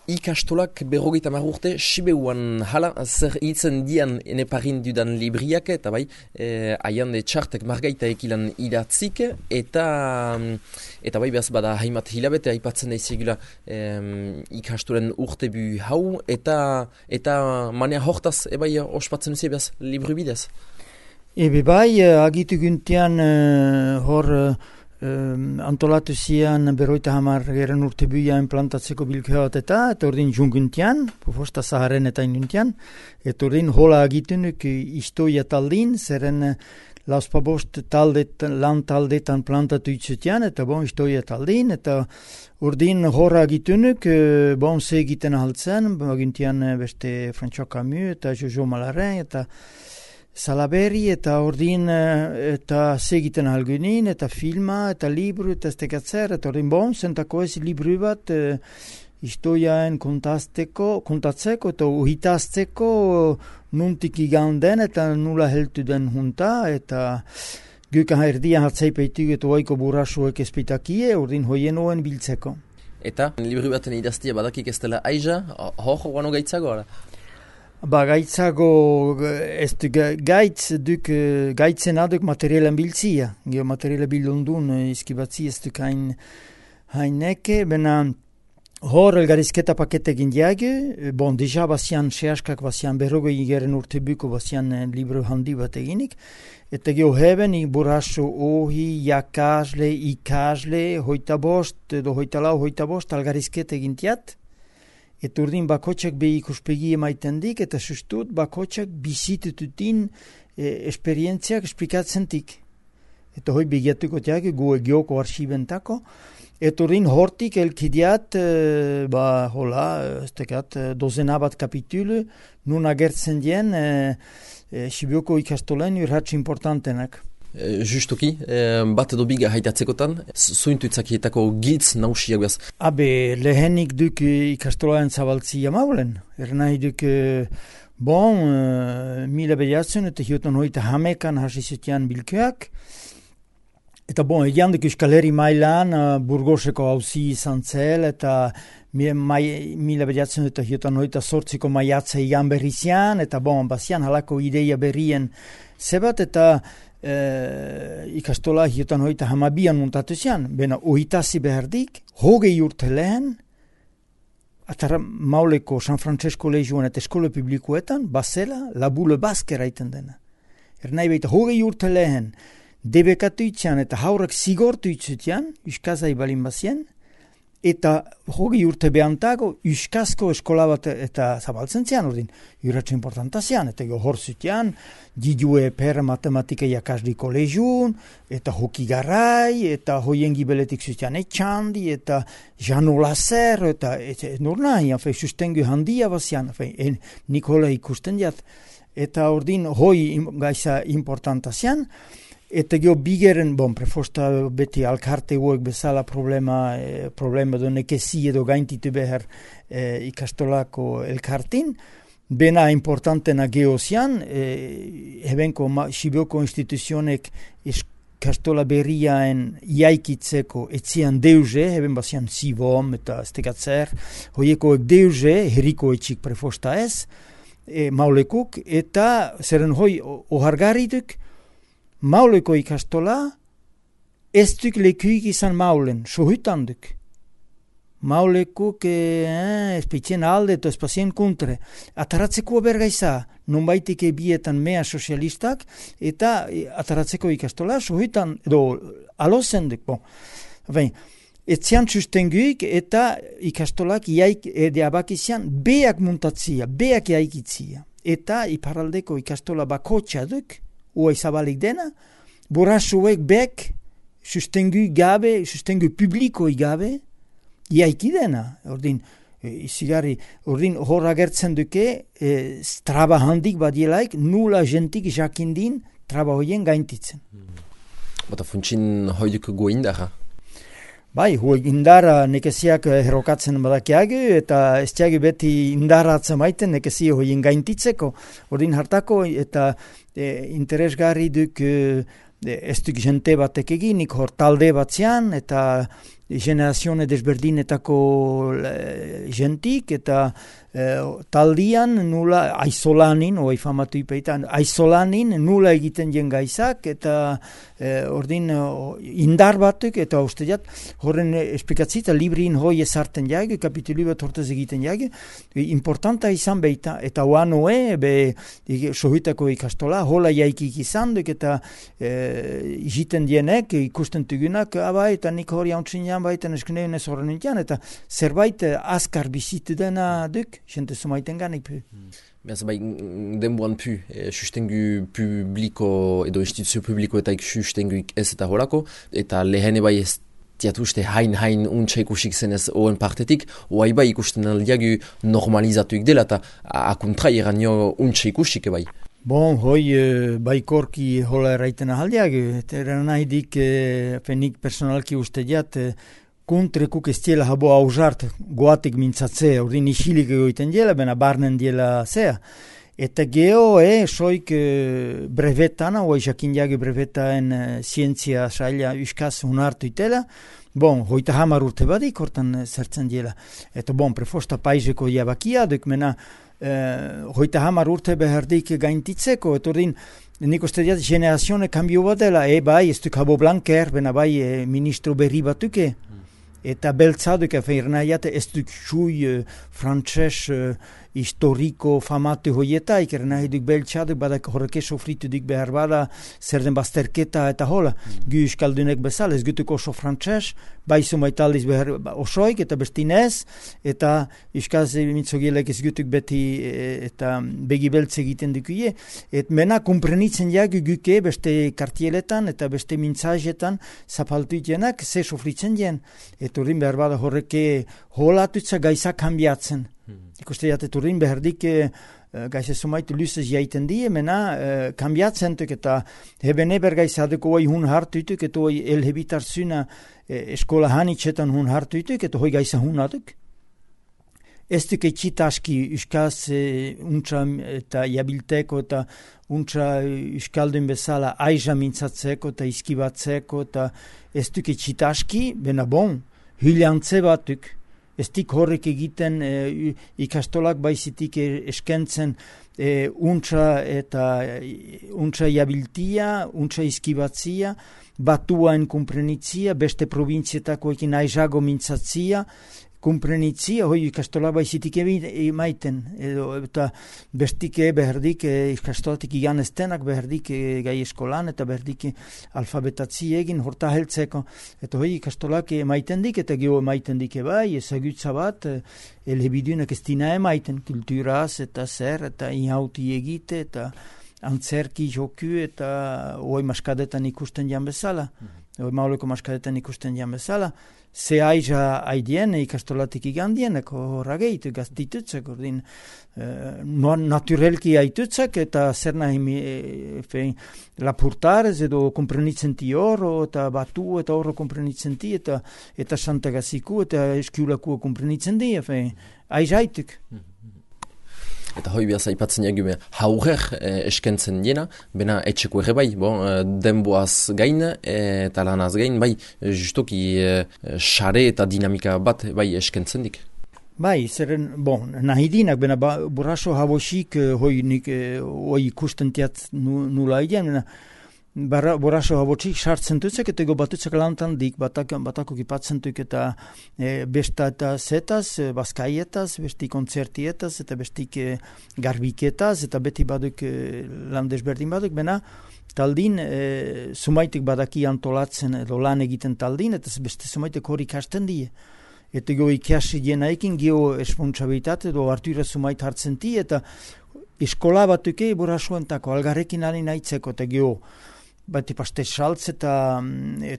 Ikastolak 50 urte Sibeuan hala zer hitzen dian eneparin dudan libriak eta bai aian de txartek margaita ekilan idatzik eta bai behaz bada haimat hilabete aipatzen daizigula ikastolen urtebu hau eta manea hortaz ebai ospatzen duzi behaz libru bidez. Ebe bai agitu guntian hor antolatu zian 50 urtebuia implantatzeko bilkeat eta ordin junguntian, posta zaharen eta inuntian, eta ordin hola agitunuk istoia taldin, zeren lauspabost lan taldetan plantatu itzutian, eta bon istoia taldin, eta ordin hora agitunuk, bon ze egiten ahaltzen, agintian beste François Camus eta Jojo Malaren, eta Salaberri eta ordin eta segiten algunin eta filma eta libru eta estekatzer eta ordin bon zentako ez libru bat historiaen kontatzeko eta uhitazteko nuntik iganden eta nula heltu den junta eta gukan erdian hatzaipeitu eta oaiko burrasuek espitakie ordin hoienoen biltzeko. Eta libru baten idaztia badakik ez dela aiza, hor guano gaitzago ara? Gaitzago ez gaitzen aduk materialen biltzia. Materialen bildundun izkibatzi ez duk haineke, bena hor elgarizketa paketekin diage, bon, deja bazian sehaskak bazian berrogei geren urtebuko bazian libro handi bat eginik, eta geho heben burraso ohi, jakasle, ikasle, hoita bost, algarizketa egin tiat, eta urdin bakotxak behi ikuspegi emaiten dik, eta sustut bakotxak bizitututin esperientziak esplikatzen tik. Eta hoi begiatuko tiak, gu egioko arxibentako, eta urdin hortik elkidiat, dozena bat kapitulu, nun agertzen dien, Sibioko ikastolen urratx importantenak. Justuki, bat edo biga haitatzekotan, zuintuitzakietako giltz nausiak behaz? Lehenik duk ikastolaen zabaltzia maulen. Nahi duk, mila behiatzen eta hiotan hoita hamekan hasizetian bilkeak. Eta egian duk Euskal Herri mailan Burgoseko hauzi izan zel eta mila behiatzen eta hiotan hoita sortziko maiatza igan berrizian eta bazian halako ideia berrien zebat eta ikastola hiotan hoita hamabian muntatu zian, bena ohitazi behardik, hogei urte lehen, atara mauleko San Francesco Legioan eta eskola publikoetan, bazela, labule bazkera iten dena. Nahi baita hogei urte lehen, debekatu itzian eta haurak zigortu itzutian, uskazai balin bazien, eta hogei urte behantago, uskazko eskola bat eta zabaltzen zian, ordin, urratxo importanta zian, eta hor zutian, didue per matematika jakasdi kolegiun, eta hoki garai, eta hoien gibeletik zutian etxandi, eta Jano Lazer, eta nur nahi, sustengu handia bazian, nik hola ikusten diat, eta ordin hoi gaiza importanta zian, eta geho bigeren, prefosta beti alkarte huek bezala problema do nekezi edo gaintitu behar ikastolako elkartin, bena importantena geho zian, hebenko Sibioko instituzionek ikastola berriaen iaikitzeko etzian deuze, heben bazian zibom eta estekatzer, hoiekoek deuze, herriko etxik prefosta ez, maulekuk, eta zeren hoi ohargarriduk, mauleko ikastola, ez duk lekuik izan maulen, sohutan duk. Maulekuk espeitzen alde eta espazien kontre. Ataratzeko bergaiza, nonbaitik bietan mea sozialistak, eta ataratzeko ikastola, sohutan, edo alozen duk. Etzian sustenguik eta ikastolak abakizian beak muntatzia, beak iaikitzia. Eta iparaldeko ikastola bakotxa duk, ua izabalik dena, burrasuek bek, sustengu gabe, sustengu publiko gabe, iaiki dena. Ordin, ordin hor agertzen duke, traba handik badielaik, nula jentik jakindin, traba hoien gaintitzen. Bata funtsin hoiduk goindara? Hoi indara nekeziak herokatzen badakiagu, eta ez tiagu beti indara atzemaiten nekezi hoien gaintitzeko. Ordin hartako eta interesgarri duk ez duk jente batek eginik hor talde batzean, eta generazione desberdinetako jentik, eta taldian nula aizolanin, oai famatu ipeitan, aizolanin nula egiten jen gaizak, eta ordin indar batuk, eta usteat, horren esplikatzi, eta librin hoi ezarten jage, kapituli bat hortez egiten jage, importanta izan beita, eta oanoe, sohitako ikastola, hola jaikik izan duk, eta jiten dienek, ikusten tugunak, eta nik hori hauntzin jan baiten eskuneun ez horren nintian, eta zerbait azkar bizitu dena duk, jente sumaiten ganik pu. Beaz, denboan pu, sustengu publiko edo instituzio publikoetaik sustenguik ez eta holako, eta lehene ez tiatuste hain untsa ikusik zenez oen partetik, oai ikusten aldiagu normalizatuik dela, eta akuntra iranio untsa ikusik bai. Bon, hoi baikorki hola erraiten ahaldiak, eta nahi dik, nik personalki uste jat, kontrekuk ez diela habo hausart goatik mintzatzea, ordin isilik egoiten diela, bena barnen diela zea. Eta geho, soik brevetana, oai jakin jage brevetaen zientzia saila uskaz hunartu itela, bon, hoita 10 urte badik hortan zertzen diela. Eta bon, prefosta paizeko jabakia, duk mena, hoita 10 urte behardik gaintitzeko, eta ordin, nik uste diat generazione kambio bat dela, bai, ez duk habo blanker, bena bai ministro berri batuke, eta beltzaduk nahiate ez duk xui frantses historiko famatu hoietaik, nahi duk beltzaduk badak horreke sofritu duk behar bada zer den bazterketa eta hola. Gu euskaldunek bezala, ez gutuk oso frantses, bai sumaitaldiz behar osoik eta bestinez, eta euskaz mitzogielek ez gutuk beti eta begi beltz egiten dukuie. Et mena komprenitzen jagu guke beste kartieletan eta beste mintzajetan zapaltu itenak ze sofritzen jen. Et urrin behar bada horreke holatutza gaizak kambiatzen. Ikuste jate turrin behardik gaize sumaitu luzez jaiten die, mena kambiatzen tuk eta hebene bergaizaduko hoi hun hartuituk eta hoi elhebitartzuna eskola hanitxetan hun hartuituk eta hoi gaiza hun aduk. Ez duk etxitaski uskaz untsa eta jabilteko eta untsa uskaldun bezala aiza mintzatzeko eta izkibatzeko eta ez duk etxitaski, bena bon, hyliantze batuk. Ez dik horrek egiten ikastolak baizitik eskentzen untsa eta untsa jabiltia, untsa izkibatzia, batuaen kumprenitzia, beste provinzietako ekin aizago mintzatzia, kumprenitzia, hoi ikastolak baizitik emaiten, eta bestike beherdik ikastolatik igan estenak, beherdik gai eskolan, eta beherdik alfabetatzi egin, horta heltzeko, eta hoi ikastolak emaiten dik, eta geho emaiten dik bai, ezagutza bat, elhebidunak ez dina emaiten, kulturaz, eta zer, eta inhauti egite, eta antzerki joku, eta hoi maskadetan ikusten jan bezala, hoi mauleko maskadetan ikusten jan bezala, ze aiza aidien ikastolatik igandienek horrageit gaztitutzek, ordin naturelki aitutzek eta zer nahi lapurtarez edo komprenitzen ti horro eta batu eta horro komprenitzen ti eta santagaziku eta eskiulaku komprenitzen di, aiza aituk. Eta hoi behaz aipatzen jagume haurrer eskentzen jena, bena etxeko ere bai, denboaz gain eta lanaz gain, bai, justoki xare eta dinamika bat bai eskentzen dik. Bai, zeren, nahi dinak, bena buraso habosik hoi ikusten tiat nula idean, bena buraso habosik sartzen tutzek eta batutzek lantan dik, batako kipatzen tuk eta besta eta zetaz, bazkaietaz, besti kontzertietaz eta bestik garbiketaz eta beti baduk lan desberdin baduk, bena taldin sumaitek badaki antolatzen edo lan egiten taldin eta beste sumaitek hori ikasten die. Eta geho ikasi dienaikin geho espontsabilitate edo hartuira sumait hartzen ti eta eskola batuke burasoentako algarrekin alin aitzeko eta geho bati paste saltz eta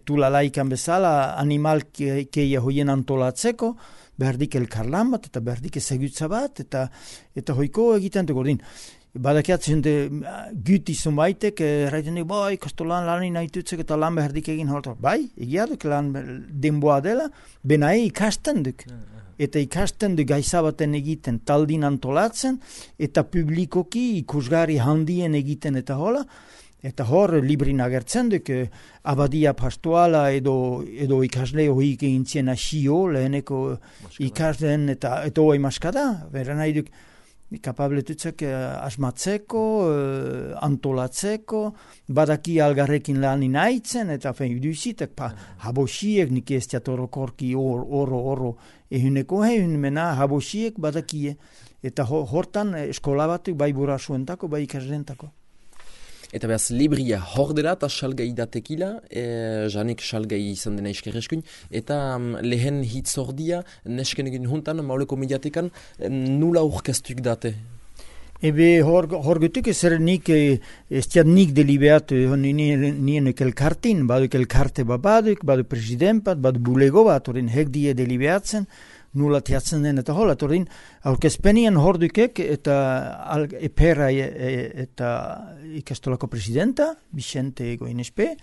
tulalaikan bezala animal keia hoien antolatzeko, behardik elkarlan bat eta behardik ezagutza bat eta hoiko egiten dugu din. Badakiatzen guti zumaitek, erraiten dugu, ikastolan lanin haitutzek eta lan behardik egin holta. Bai, egia duk lan denboa dela, benae ikasten duk. Eta ikasten du gaizabaten egiten taldin antolatzen eta publikoki ikusgarri handien egiten eta hola. Eta hor, librin agertzen duk, abadia pastoala edo ikasle hoik egin zien asio, leheneko ikasleen eta hoi maskada, bera nahi duk, kapabletutzek asmatzeko, antolatzeko, badaki algarrekin lanin haitzen, eta iduzitek, habosiek, nik ez teatorokorki oro, ehuneko mena habosiek badakie, eta hortan eskola batuk bai burasuentako, bai ikasleentako. Eta behaz, libria hor dela eta salgai datekila, janik salgai izan dena iskerreskun, eta lehen hitz ordia, nesken egin juntan, mauleko mediatekan, nula urkestuk date? Ebe hor getuk ezer nik, ez tiat nik delibeatu, nien elkartin, baduk elkarte baduk, badu president badu bulego bat, orin hek die delibeatzen, nula tiatzen den eta hola, orin aurkezpenien hor dukek eta epera eta ikastolako presidenta, Vicente Goinespe,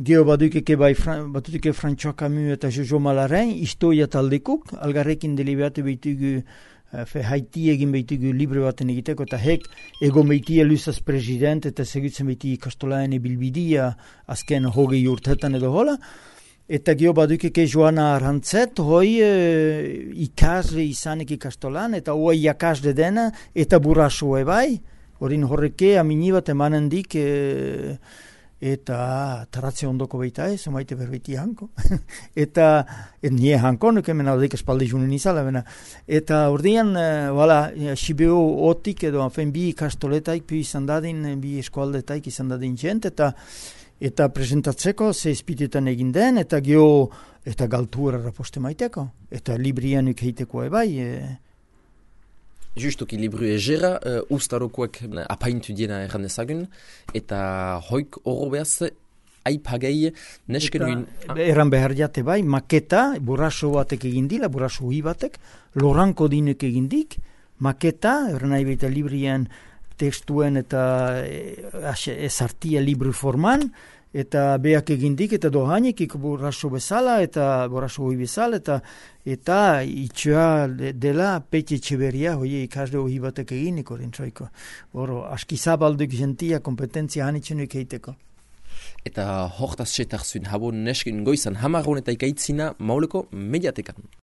geho badukeke batutuke François Camus eta Jojo Malarain, historia taldekuk, algarrekin delibeatu behitugu haiti egin behitugu libre baten egiteko, eta hek ego meitia luzaz president eta segutzen behiti ikastolaen bilbidia azken hogei urtetan edo hola, eta geho badukeke Joana Arantzet, hoi ikasle izanek ikastolan, eta hoi jakasle dena, eta buraso ebai, horin horreke amini bat emanen dik, eta taratze ondoko baita ez, omaite berbeti hanko. Eta nie hanko, nuke mena odeik espalde junen izala, bena. Eta ordean, Sibeo otik edo, bi ikastoletaik, izan dadin, bi eskualdetaik izan dadin jent, eta presentatzeko ze espitetan egin den, eta geho, eta galtuera raposte maiteko, eta librian ukeiteko ebai. Justoki libru egera, ustarokoek apaintu diena erran ezagun, eta hoik horro behaz, aipagei nesken uin... Erran behar jate bai, maketa, buraso batek egindila, buraso hui batek, loranko dinek egindik, maketa, erran nahi baita librian tekstuen eta ezartia libru forman, eta beak egindik, eta dohainik buraso bezala, eta buraso hui bezala, eta itxoa dela Peti Etxeberria, hoi ikasle hui batek eginik orintzoiko. Horo, askizabalduk jentia kompetentzia hanitzenuik eiteko. Eta hortaz setarzun, habo nesken goizan hamarron eta ikaitzina mauleko mediatekan.